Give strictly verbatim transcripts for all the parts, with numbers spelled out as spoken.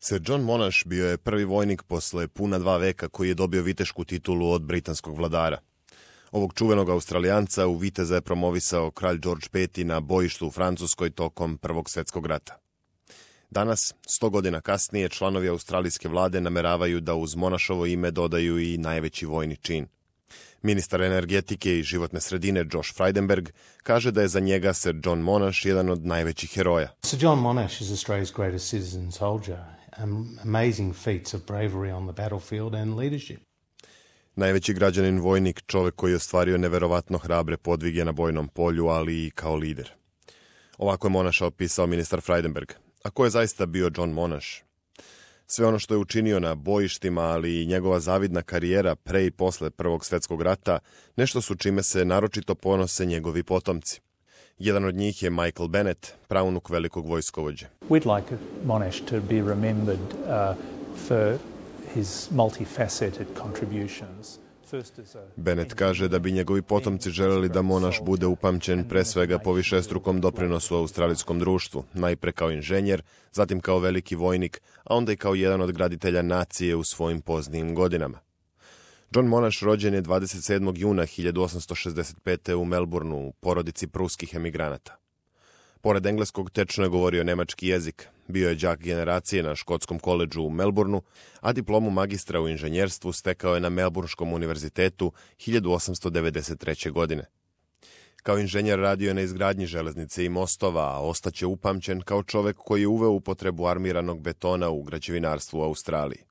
Sir John Monash bio je prvi vojnik posle puna dva veka koji je dobio vitešku titulu od britanskog vladara. Ovog čuvenog Australijanca u viteza je promovisao kralj George peti na bojištu u Francuskoj tokom Prvog svjetskog rata. Danas, sto godina kasnije, članovi australijske vlade nameravaju da uz Monashovo ime dodaju i najveći vojni čin. Ministar energetike i životne sredine Josh Frydenberg kaže da je za njega Sir John Monash jedan od najvećih heroja. Sir John Monash is Australia's greatest citizen soldier. Amazing feats of bravery on the battlefield and leadership. Najveći građanin vojnik, čovek koji je ostvario neverovatno hrabre podvige na bojnom polju, ali i kao lider. Ovako je Monasha opisao ministar Frydenberg. A ko je zaista bio John Monash? Sve ono što je učinio na bojištima, ali i njegova zavidna karijera pre i posle Prvog svjetskog rata, nešto su čime se naročito ponose njegovi potomci. Jedan od njih je Michael Bennett, praunuk velikog vojskovođe. We'd like Monash to be remembered uh, for his multifaceted contributions. Bennett kaže da bi njegovi potomci želeli da Monash bude upamćen pre svega po višestrukom doprinosu australijskom društvu, najpre kao inženjer, zatim kao veliki vojnik, a onda i kao jedan od graditelja nacije u svojim poznijim godinama. John Monash rođen je dvadeset sedmog juna hiljadu osamsto šezdeset pete. u Melbourneu u porodici pruskih emigranata. Pored engleskog tečno je govorio nemački jezik, bio je đak generacije na škotskom koledžu u Melbourneu, a diplomu magistra u inženjerstvu stekao je na Melbournskom univerzitetu hiljadu osamsto devedeset treće. godine. Kao inženjer radio je na izgradnji železnice i mostova, a ostaće upamćen kao čovek koji je uveo upotrebu armiranog betona u građevinarstvu u Australiji.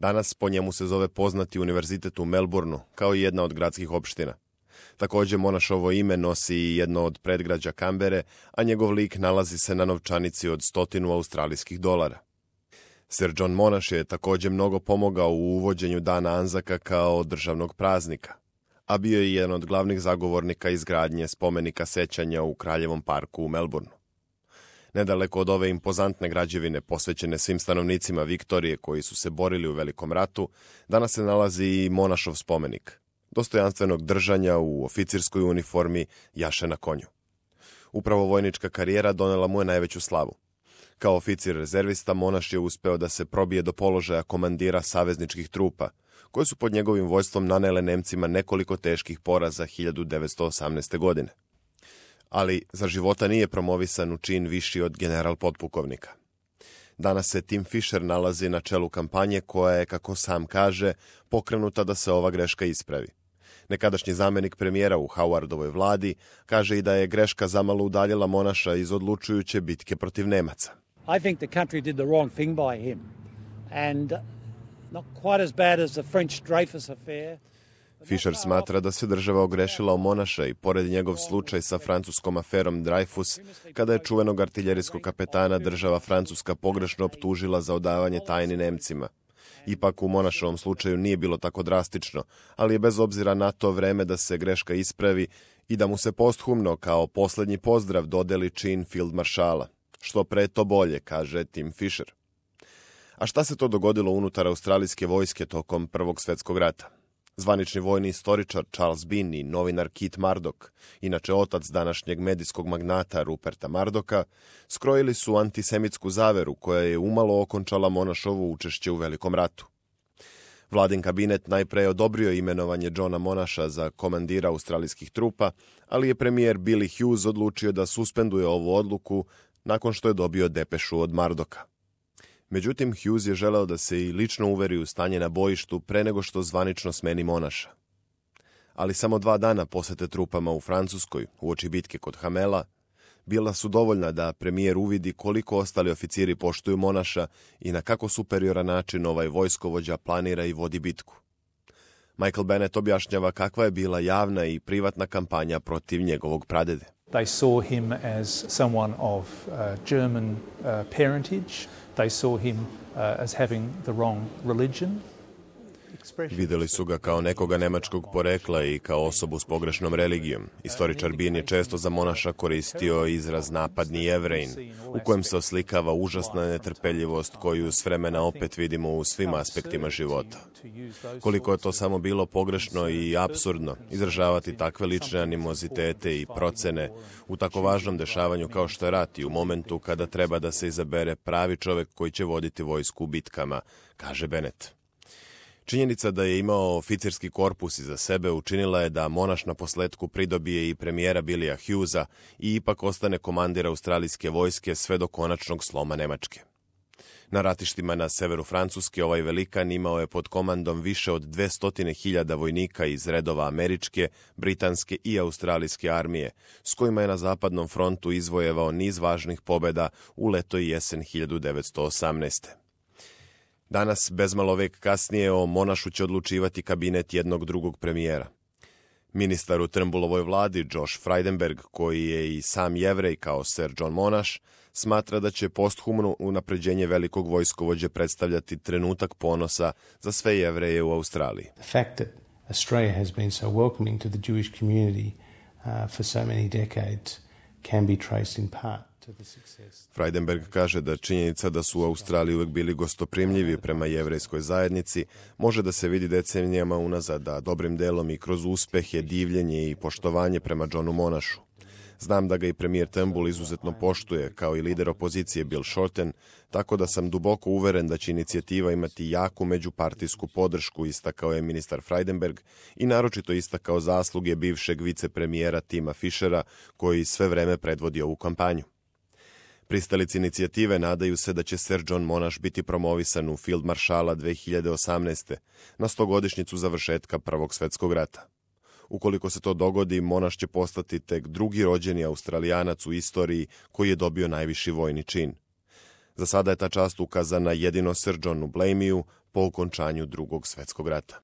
Danas po njemu se zove poznati univerzitet u Melbourneu, kao i jedna od gradskih opština. Također Monashovo ime nosi i jedno od predgrađa Kambere, a njegov lik nalazi se na novčanici od stotinu australijskih dolara. Sir John Monash je također mnogo pomogao u uvođenju Dana Anzaka kao državnog praznika, a bio je jedan od glavnih zagovornika izgradnje spomenika sećanja u Kraljevom parku u Melbourneu. Nedaleko od ove impozantne građevine posvećene svim stanovnicima Viktorije koji su se borili u Velikom ratu, danas se nalazi i Monashov spomenik, dostojanstvenog držanja u oficirskoj uniformi, jaše na konju. Upravo vojnička karijera donela mu je najveću slavu. Kao oficir rezervista Monash je uspeo da se probije do položaja komandira savezničkih trupa, koje su pod njegovim vojstvom nanele Nemcima nekoliko teških poraza hiljadu devetsto osamnaeste. godine. Ali za života nije promovisan u čin viši od general potpukovnika. Danas se Tim Fisher nalazi na čelu kampanje koja je, kako sam kaže, pokrenuta da se ova greška ispravi. Nekadašnji zamenik premijera u Howardovoj vladi kaže i da je greška zamalo udaljila Monasha iz odlučujuće bitke protiv Nemaca. I think the country did the wrong thing by him and not quite as bad as the French Dreyfus affair. Fisher smatra da se država ogrešila o Monasha i pored njegov slučaj sa francuskom aferom Dreyfus, kada je čuvenog artiljerijskog kapetana država Francuska pogrešno optužila za odavanje tajni Nemcima. Ipak u Monashovom slučaju nije bilo tako drastično, ali je bez obzira na to vreme da se greška ispravi i da mu se posthumno kao posljednji pozdrav dodeli čin field maršala. Što pre to bolje, kaže Tim Fisher. A šta se to dogodilo unutar australijske vojske tokom Prvog svjetskog rata? Zvanični vojni istoričar Charles Bean i novinar Kit Murdoch, inače otac današnjeg medijskog magnata Ruperta Murdocha, skrojili su antisemitsku zaveru koja je umalo okončala Monashovo učešće u Velikom ratu. Vladin kabinet najpre je odobrio imenovanje Johna Monasha za komandira australijskih trupa, ali je premijer Billy Hughes odlučio da suspenduje ovu odluku nakon što je dobio depešu od Murdocha. Međutim, Hughes je želeo da se i lično uveri u stanje na bojištu pre nego što zvanično smeni Monasha. Ali samo dva dana posete trupama u Francuskoj, uoči bitke kod Hamela, bila su dovoljna da premijer uvidi koliko ostali oficiri poštuju Monasha i na kako superioran način ovaj vojskovođa planira i vodi bitku. Michael Bennett objašnjava kakva je bila javna i privatna kampanja protiv njegovog pradede. They saw him as someone of uh, German uh, parentage. They saw him uh, as having the wrong religion. Videli su ga kao nekoga nemačkog porekla i kao osobu s pogrešnom religijom. Istoričar Bean je često za Monaša koristio izraz napadni Jevrejin, u kojem se oslikava užasna netrpeljivost koju s vremena opet vidimo u svim aspektima života. Koliko je to samo bilo pogrešno i apsurdno izražavati takve lične animozitete i procene u tako važnom dešavanju kao što je rat i u momentu kada treba da se izabere pravi čovek koji će voditi vojsku u bitkama, kaže Bennett. Činjenica da je imao oficirski korpus iza sebe učinila je da Monaš na posletku pridobije i premijera Billya Hughesa i ipak ostane komandir australijske vojske sve do konačnog sloma Nemačke. Na ratištima na severu Francuske ovaj velikan imao je pod komandom više od dvesta hiljada vojnika iz redova američke, britanske i australijske armije, s kojima je na zapadnom frontu izvojevao niz važnih pobjeda u leto i jesen hiljadu devetsto osamnaeste. Danas, bezmalo vek kasnije, o Monašu će odlučivati kabinet jednog drugog premijera. Ministar u Turnbullovoj vladi, Josh Frydenberg, koji je i sam Jevrej kao Sir John Monash, smatra da će posthumno unapređenje velikog vojskovođe predstavljati trenutak ponosa za sve Jevreje u Australiji. The fact that Australia has been so welcoming to the Jewish community uh, for so many decades can be traced in part. Frydenberg kaže da činjenica da su u Australiji uvek bili gostoprimljivi prema jevrejskoj zajednici može da se vidi decenijama unazad, a dobrim delom i kroz uspehe, divljenje i poštovanje prema Johnu Monašu. Znam da ga i premijer Turnbull izuzetno poštuje, kao i lider opozicije Bill Shorten, tako da sam duboko uveren da će inicijativa imati jaku međupartijsku podršku, istakao je ministar Frydenberg i naročito istakao zasluge bivšeg vicepremijera Tima Fishera, koji sve vreme predvodi ovu kampanju. Pristalici inicijative nadaju se da će Sir John Monash biti promovisan u Field Maršala dve hiljade osamnaeste. na stogodišnjicu završetka Prvog svetskog rata. Ukoliko se to dogodi, Monash će postati tek drugi rođeni Australijanac u istoriji koji je dobio najviši vojni čin. Za sada je ta čast ukazana jedino Sir Johnu Blameyju po okončanju Drugog svetskog rata.